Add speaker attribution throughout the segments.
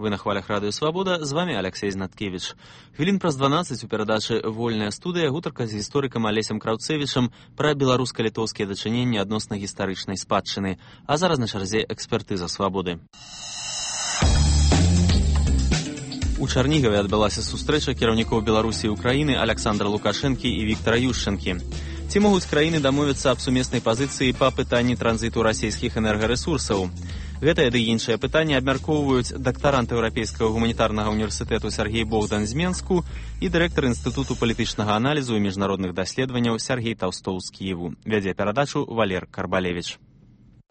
Speaker 1: Вы на хвалях Радыё Свабода, з вами Алексей Знаткевич. Хвілін праз 12 у перадачы «Вольная студыя» гутарка з гісторыкам Алесем Краўцевічам пра беларуска-літоўскія дачыненні адносна гістарычнай спадчыны. А зараз на чарзе экспертыза Свабоды. У Чарнігаве адбылася сустрэча кіраўнікоў Беларусі і Украіны Аляксандра Лукашэнкі і Віктара Ющэнкі. Ці могуць краіны дамовіцца аб сумеснай пазіцыі па пытанні транзіту расійскіх энергарэсурсаў? Гэтае ды іншае пытанне абмяркоўваюць дактарант Еўрапейскага гуманітарнага універсітэту Сергей Богдан з Менску і дырэктар Інстытуту палітычнага аналізу і міжнародных даследаванняў Сергей Таўстоў з Кіеву. Вядзе перадачу Валер Карбалевіч.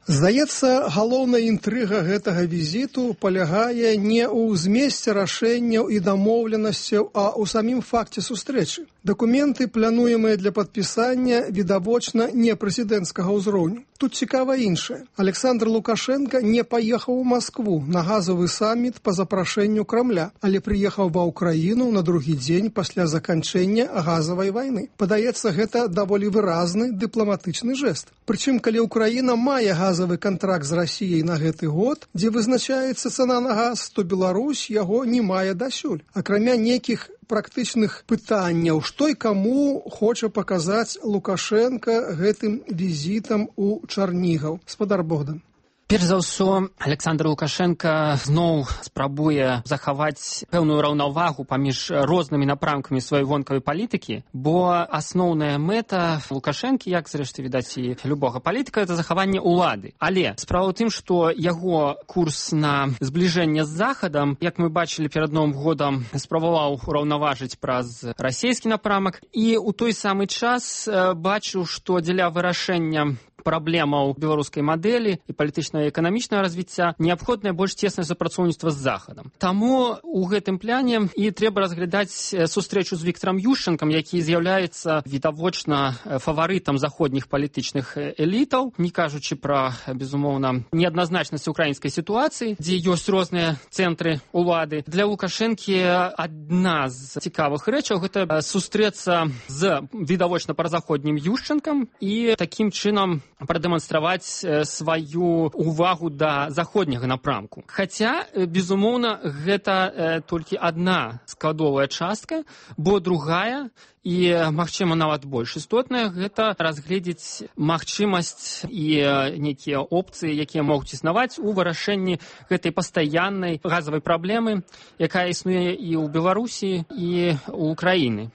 Speaker 2: Здаецца, галоўная інтрыга гэтага візіту палягае не ў змесце рашэнняў і дамоўленасцяў, а ў самім факце сустрэчы. Дакументы, плануемыя для падпісання, відавочна не прэзідэнцкага ўзроўню. Тут цікава іншае. Александр Лукашенко не паехаў у Маскву на газавы саміт па запрашэнню Крамля, але прыехаў ва ўкраіну на другі дзень пасля заканчэння газавай вайны. Падаецца, гэта даволі выразны дыпламатычны жэст. Прычым, калі Украіна мае газавы кантракт з Расіяй на гэты год, дзе вызначаецца цана на газ, то Беларусь яго не мае дасюль. Акрамя нейкіх практычных пытанняў, што і каму хоча паказаць Лукашенко гэтым візітам у Чарнігаў. Спадар Богдан.
Speaker 3: Перш за ўсё, Александр Лукашенко зноў спрабуе захаваць пэўную раўнавагу паміж рознымі напрамкамі сваёй вонкавай палітыкі, бо асноўная мэта Лукашэнкі, як зрэшты відаць і любога палітыка, это захаванне ўлады. Але справа ў тым, што яго курс на збліжэнне з Захадам, як мы бачылі перад Новым годам, спрабаваў ураўнаважыць праз расійскі напрамак, і ў той самы час бачыў, што дзеля вырашэння праблемаў беларускай мадэлі і палітычнага і эканамічнага развіцця неабходнае больш цеснае супрацоўніцтва з Захадам. Таму ў гэтым пляне і трэба разглядаць сустрэчу з Віктарам Ющэнкам, які з'яўляецца відавочна фаварытам заходніх палітычных элітаў, не кажучы пра, безумоўна, неадназначнасць украінскай сітуацыі, дзе ёсць розныя цэнтры ўлады. Для Лукашэнкі адна з цікавых рэчаў гэта сустрэцца з відавочна празаходнім Ющэнкам і такім чынам прадэманстраваць сваю увагу да заходняга напрамку. Хаця, безумоўна, гэта толькі адна складовая частка, бо другая і, магчыма, нават больш істотная, гэта разгледзець магчымасць і нейкія опцыі, якія могуць існаваць у вырашэнні гэтай пастаяннай газавай праблемы, якая існуе і ў Беларусі, і ў Украіны.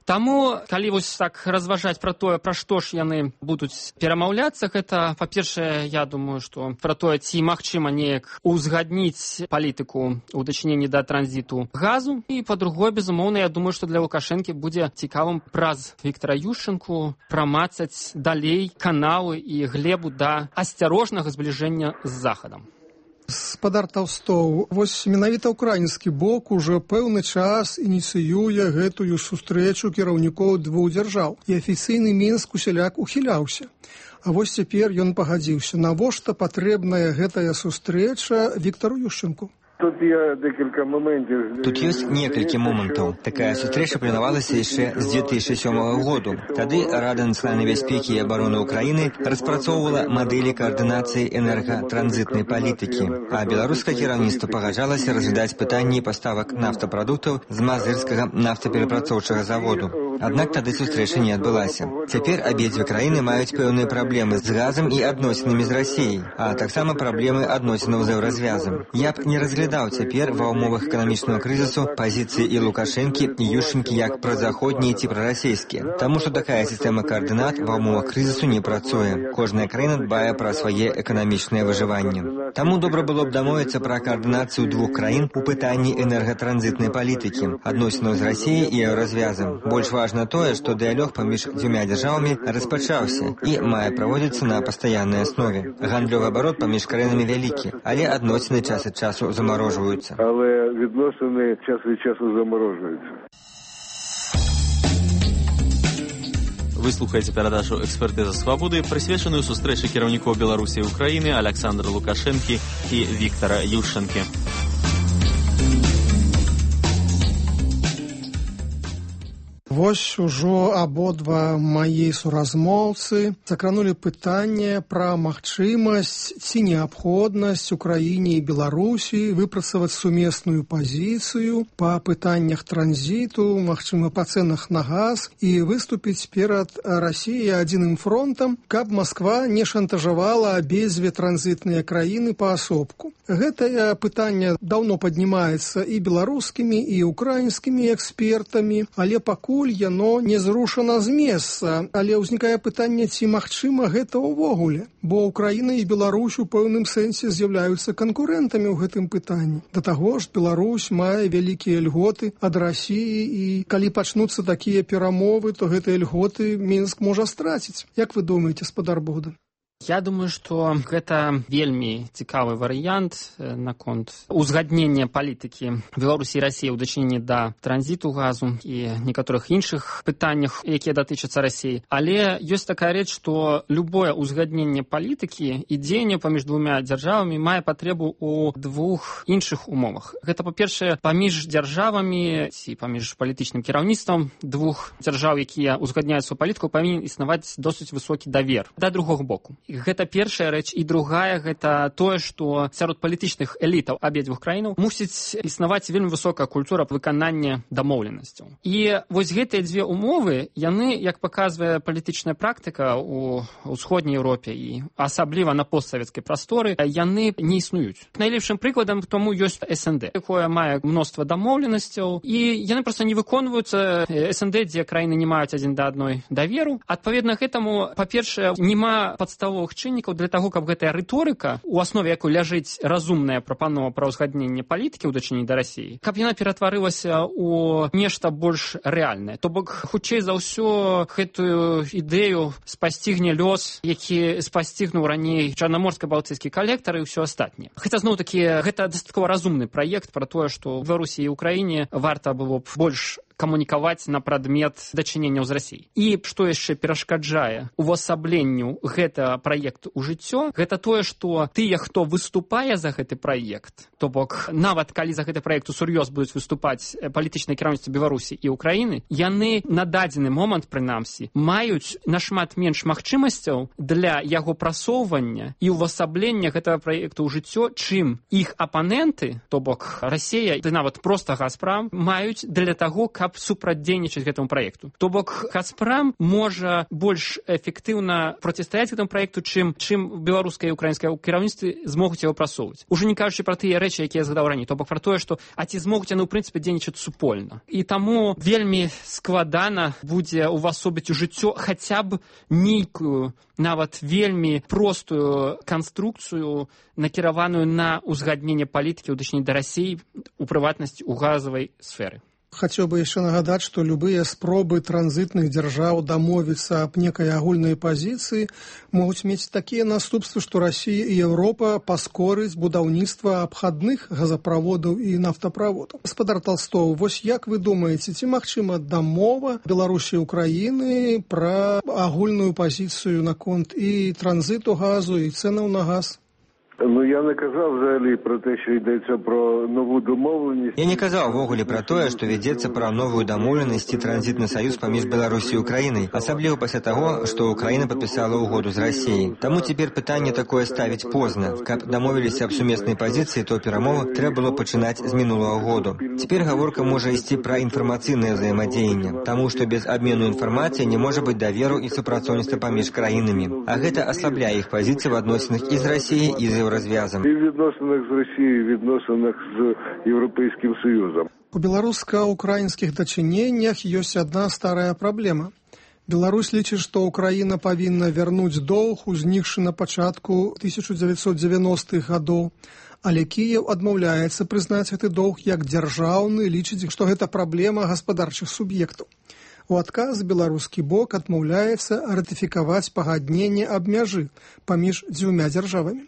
Speaker 3: Таму, калі вось так разважаць пра тое, пра што ж яны будуць перамаўляцца, гэта, па-першае, я думаю, што пра тое, ці магчыма неяк узгадніць палітыку ў дачыненні да транзіту газу, і, па-другое, безумоўна, я думаю, што для Лукашэнкі будзе цікавым праз Віктара Ющэнку прамацаць далей каналы і глебу да асцярожнага збліжэння з Захадам.
Speaker 2: Спадар Таўстоў, вось менавіта ўкраінскі бок ужо пэўны час ініцыюе гэтую сустрэчу кіраўнікоў двух дзяржаў, і афіцыйны Мінск усяляк ухіляўся. А вось цяпер ён пагадзіўся. Навошта патрэбная гэтая сустрэча Віктару Ющэнку?
Speaker 4: Тут ёсць некалькі момантаў. Такая сустрэча планавалася яшчэ з 2007 году. Тады Рада нацыянальнай бяспекі і абароны Украіны распрацоўвала мадэлі каардынацыі энергатранзітнай палітыкі, а беларускае кіраўніцтва пагаджалася разглядаць пытанні паставак нафтапрадуктаў з мазырскага нафтаперапрацоўчага заводу. Аднак тады сустрэча не адбылася. Цяпер абедзве краіны маюць пэўныя праблемы з газам і адносінамі з Расіяй, а таксама праблемы адносінаў з еўразвязам. Я б не разглядаў цяпер ва ўмовах эканамічнага крызісу пазіцыі і Лукашэнкі, і Ющэнкі як празаходнія ці прарасійскія. Таму што такая сістэма каардынат ва ўмовах крызісу не працуе. Кожная краіна дбае пра свае эканамічнае выжыванне. Таму добра было б дамовіцца пра каардынацыю двух краін у пытанні энергатранзітнай палітыкі, адносінаў з Расіяй і еўразвязам. Больш важна тое, што дыялог паміж дзвюма дзяржавамі распачаўся і мае праводзіцца на пастаяннай аснове. Гандлёвы абарот паміж краінамі вялікі, але адносіны час ад часу замарожваюцца.
Speaker 5: Але відносини час від часу заморожуються.
Speaker 1: Вы слухаеце перадачу «Экспертыза Свабоды», прысвечаную сустрэчы кіраўнікоў Беларусі і Украіны Аляксандра Лукашэнкі і Віктара
Speaker 2: Вось ужо абодва мае суразмоўцы закранулі пытанне пра магчымасць ці неабходнасць Украіне і Беларусі выпрацаваць сумесную пазіцыю па пытаннях транзіту, магчыма, па цэнах на газ і выступіць перад Расіяй адзіным фронтам, каб Масква не шантажавала абедзве транзітныя краіны паасобку. Гэтае пытанне даўно паднімаецца і беларускімі, і украінскімі экспертамі, але пакуль яно не зрушана з месца. Але ўзнікае пытанне, ці магчыма гэта ўвогуле, бо Украіна і Беларусь у пэўным сэнсе з'яўляюцца канкурэнтамі ў гэтым пытанні. Да таго ж, Беларусь мае вялікія льготы ад Расіі, і калі пачнуцца такія перамовы, то гэтыя льготы Мінск можа страціць. Як вы думаеце, спадар Богдан?
Speaker 3: Я думаю, што гэта вельмі цікавы варыянт наконт узгаднення палітыкі Беларусі і Расіі ў дачыненні да транзіту газу і некаторых іншых пытаннях, якія датычацца Расіі. Але ёсць такая рэч, што любое узгадненне палітыкі і дзеянне паміж двумя дзяржавамі мае патрэбу ў двух іншых умовах. Гэта, па-першае, паміж дзяржавамі ці паміж палітычным кіраўніцтвам двух дзяржаў, якія ўзгадняюць сваю палітыку, павінен існаваць досыць высокі давер да другога боку. Гэта першая рэч. І другая, гэта тое, што сярод палітычных элітаў абедзвюх краінаў мусіць існаваць вельмі высокая культура выканання дамоўленасцяў. І вось гэтыя дзве умовы, яны, як паказвае палітычная практыка ў ўсходняй Еўропе і асабліва на постсавецкай прасторы, яны не існуюць. Найлепшым прыкладам тому ёсць СНД, якое мае мноства дамоўленасцяў, і яны проста не выконваюцца. СНД, дзе краіны не маюць адзін да адной даверу. Адпаведна гэтаму, па-першае, няма падставовых чыннікаў для таго, каб гэтая рыторыка, у аснове якой ляжыць разумная прапанова пра ўзгадненне палітыкі ў дачыненні да Расіі, каб яна ператварылася ў нешта больш рэальнае. То бок, хутчэй за ўсё, гэтую ідэю спасцігне лёс, які спасцігнуў раней чарнаморска-балтыйскі калектар і ўсё астатняе. Хаця, зноў-такі, гэта дастаткова разумны праект пра тое, што ў Беларусі і Украіне варта было б больш камунікаваць на прадмет дачыненняў з Расіяй. І што яшчэ перашкаджае увасабленню гэта праекту ў жыццё, гэта тое, што тыя, хто выступае за гэты праект, то бок нават калі за гэты праект усур'ёз будуць выступаць палітычнае кіраўніцтва Беларусі і Украіны, яны на дадзены момант, прынамсі, маюць нашмат менш магчымасцяў для яго прасоўвання і увасаблення гэтага праекту ў жыццё, чым іх апаненты, то бок Расія і нават проста Газпрам, маюць для таго, каб супрацьдзейнічаць гэтаму праекту. То бок Газпрам можа больш эфектыўна процістаяць гэтаму праекту, чым беларускае і украінскае кіраўніцтвы змогуць яго прасоўваць. Ужо не кажучы пра тыя рэчы, якія я згадаў раней, то бок пра тое, што ці змогуць яны ў прынцыпе дзейнічаць супольна. І таму вельмі складана будзе увасобіць у жыццё хаця б нейкую, нават вельмі простую канструкцыю, накіраваную на ўзгадненне палітыкі ў дачыненні да Расіі, у прыватнасці ў газавай сферы.
Speaker 2: Хацеў бы яшчэ нагадаць, што любыя спробы транзітных дзяржаў дамовіцца аб некай агульнай пазіцыі могуць мець такія наступствы, што Расія і Еўропа паскорыць будаўніцтва абхадных газаправодаў і нафтаправодаў. Гаспадар Талстоў, вось як вы думаеце, ці магчыма дамова Беларусі і Украіны пра агульную пазіцыю наконт і транзіту газу, і цэнаў на газ?
Speaker 5: Ну, я не казав взагалі про те, що йдеться про нову домовленість.
Speaker 4: Я не казав ввогуле про тое, што вядзецца пра новую дамоўленасць і транзітны саюз паміж Беларусі і Украінай, асабліва пасля таго, што Украіна падпісала ўгоду з Расіяй. Таму цяпер пытанне такое ставіць позна. Каб дамовіліся аб сумеснай пазіцыі, то перамовы трэба было пачынаць з мінулага году. Цяпер гаворка можа ісці пра інфармацыйнае ўзаемадзеянне, таму што без абмену інфармацыі не можа быць даверу і супрацоўніцтва паміж краінамі. А гэта аслабляе іх пазіцыі в адносінах і з Расіяй, і з розв'язом.
Speaker 5: І в відносинах з Росією, і в відносинах з Європейським Союзом.
Speaker 2: У беларуска-украінскіх дачыненнях ёсць адна старая праблема. Беларусь лічыць, што Украіна павінна вярнуць доўг, узнікшы на пачатку 1990-х гадоў, але Кіеў адмаўляецца прызнаць гэты доўг як дзяржаўны, лічыць, што гэта праблема гаспадарчых суб'ектаў. У адказ беларускі бок адмаўляецца ратыфікаваць пагадненне аб мяжы паміж дзвюма дзяржавамі.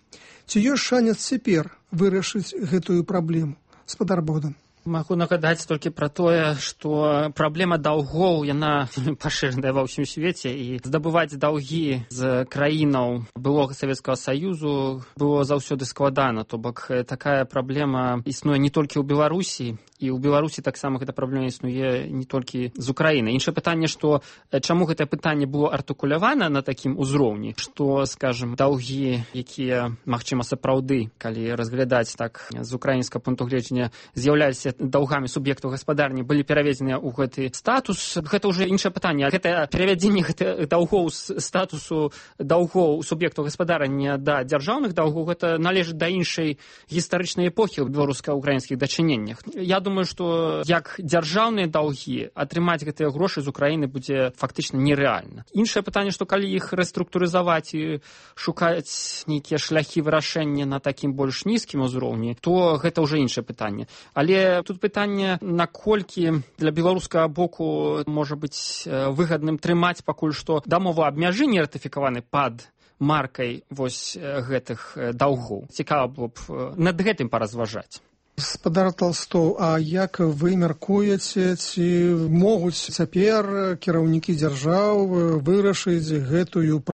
Speaker 2: Ці ёсць шанец цяпер вырашыць гэтую праблему? Гаспадар Богдан.
Speaker 3: Магу нагадаць толькі пра тое, што праблема даўгоў, яна пашыраная ва ўсім свеце, і здабываць даўгі з краінаў былога Савецкага Саюзу было заўсёды складана. То бок такая праблема існуе не толькі ў Беларусі, і ў Беларусі таксама гэта праблема існуе не толькі з Украіны. Іншае пытанне, што чаму гэтае пытанне было артыкулявана на такім узроўні, што, скажем, даўгі, якія, магчыма, сапраўды, калі разглядаць так з украінскага пункту гледжання, з'яўляліся даўгамі суб'ектаў гаспадарні, былі пераведзеныя ў гэты статус. Гэта ўжо іншае пытанне. Гэта перавядзенне гэтых даўгоў з статусу даўгоў суб'ектаў гаспадарання да дзяржаўных даўгоў, гэта належыць да іншай гістарычнай эпохі ў беларуска-украінскіх дачыненнях. Я думаю, што як дзяржаўныя даўгі атрымаць гэтыя грошы з Украіны будзе фактычна нерэальна. Іншае пытанне, што калі іх рэструктурызаваць і шукаць нейкія шляхі вырашэння на такім больш нізкім узроўні, то гэта ўжо іншае пытанне. Але тут пытанне, наколькі для беларускага боку можа быць выгадным трымаць пакуль што дамоваабмяжы не ратыфікаваны пад маркай вось гэтых даўгоў. Цікава было б над гэтым паразважаць.
Speaker 2: Гаспадар Толстоў, а як вы мяркуеце, ці могуць цяпер кіраўнікі дзяржаў вырашыць гэтую